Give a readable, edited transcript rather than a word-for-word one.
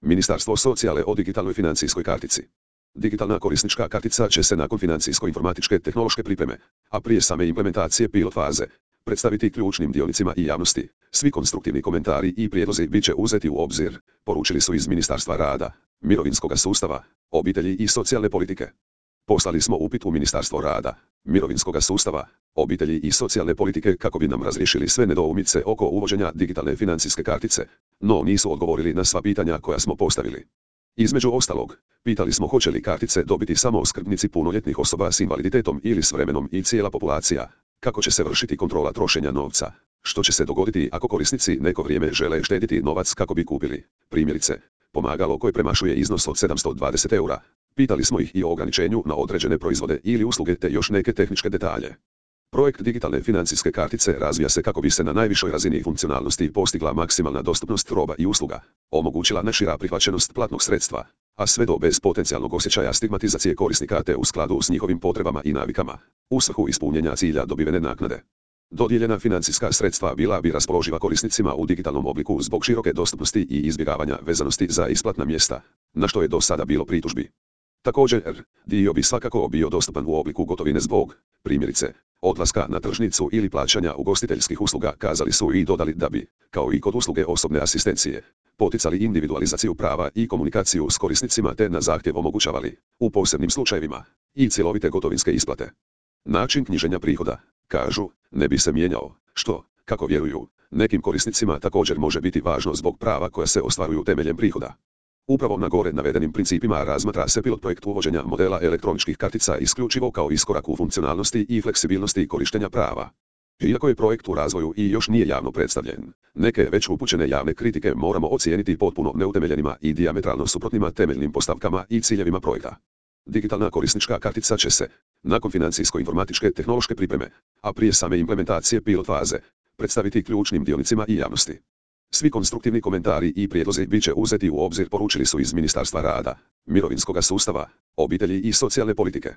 Ministarstvo socijale o digitalnoj financijskoj kartici. Digitalna korisnička kartica će se nakon financijsko-informatičke tehnološke pripreme, a prije same implementacije pilot faze, predstaviti ključnim dionicima i javnosti. Svi konstruktivni komentari i prijedlozi bit će uzeti u obzir, poručili su iz Ministarstva rada, mirovinskog sustava, obitelji i socijalne politike. Poslali smo upit u Ministarstvo rada, mirovinskog sustava, obitelji i socijalne politike kako bi nam razriješili sve nedoumice oko uvođenja digitalne financijske kartice, no nisu odgovorili na sva pitanja koja smo postavili. Između ostalog, pitali smo hoće li kartice dobiti samo skrbnici punoljetnih osoba s invaliditetom ili s vremenom i cijela populacija, kako će se vršiti kontrola trošenja novca, što će se dogoditi ako korisnici neko vrijeme žele štediti novac kako bi kupili, primjerice, pomagalo koje premašuje iznos od 720 eura. Pitali smo ih i o ograničenju na određene proizvode ili usluge te još neke tehničke detalje. Projekt digitalne financijske kartice razvija se kako bi se na najvišoj razini funkcionalnosti postigla maksimalna dostupnost roba i usluga, omogućila najšira prihvaćenost platnog sredstva, a sve do bez potencijalnog osjećaja stigmatizacije korisnika te u skladu s njihovim potrebama i navikama, u svrhu ispunjenja cilja dobivene naknade. Dodijeljena financijska sredstva bila bi raspoloživa korisnicima u digitalnom obliku zbog široke dostupnosti i izbjegavanja vezanosti za isplatna mjesta, na što je do sada bilo pritužbi. Također, dio bi svakako bio dostupan u obliku gotovine zbog, primjerice, odlaska na tržnicu ili plaćanja ugostiteljskih usluga, kazali su i dodali da bi, kao i kod usluge osobne asistencije, poticali individualizaciju prava i komunikaciju s korisnicima te na zahtjev omogućavali, u posebnim slučajevima, i cjelovite gotovinske isplate. Način knjiženja prihoda, kažu, ne bi se mijenjao, što, kako vjeruju, nekim korisnicima također može biti važno zbog prava koja se ostvaruju temeljem prihoda. Upravo na gore navedenim principima razmatra se pilot projekt uvođenja modela elektroničkih kartica isključivo kao iskorak u funkcionalnosti i fleksibilnosti korištenja prava. Iako je projekt u razvoju i još nije javno predstavljen, neke već upućene javne kritike moramo ocijeniti potpuno neutemeljenima i dijametralno suprotnima temeljnim postavkama i ciljevima projekta. Digitalna korisnička kartica će se, nakon financijsko-informatičke tehnološke pripreme, a prije same implementacije pilot faze, predstaviti ključnim dionicima i javnosti. Svi konstruktivni komentari i prijedlozi bit će uzeti u obzir, poručili su iz Ministarstva rada, mirovinskog sustava, obitelji i socijalne politike.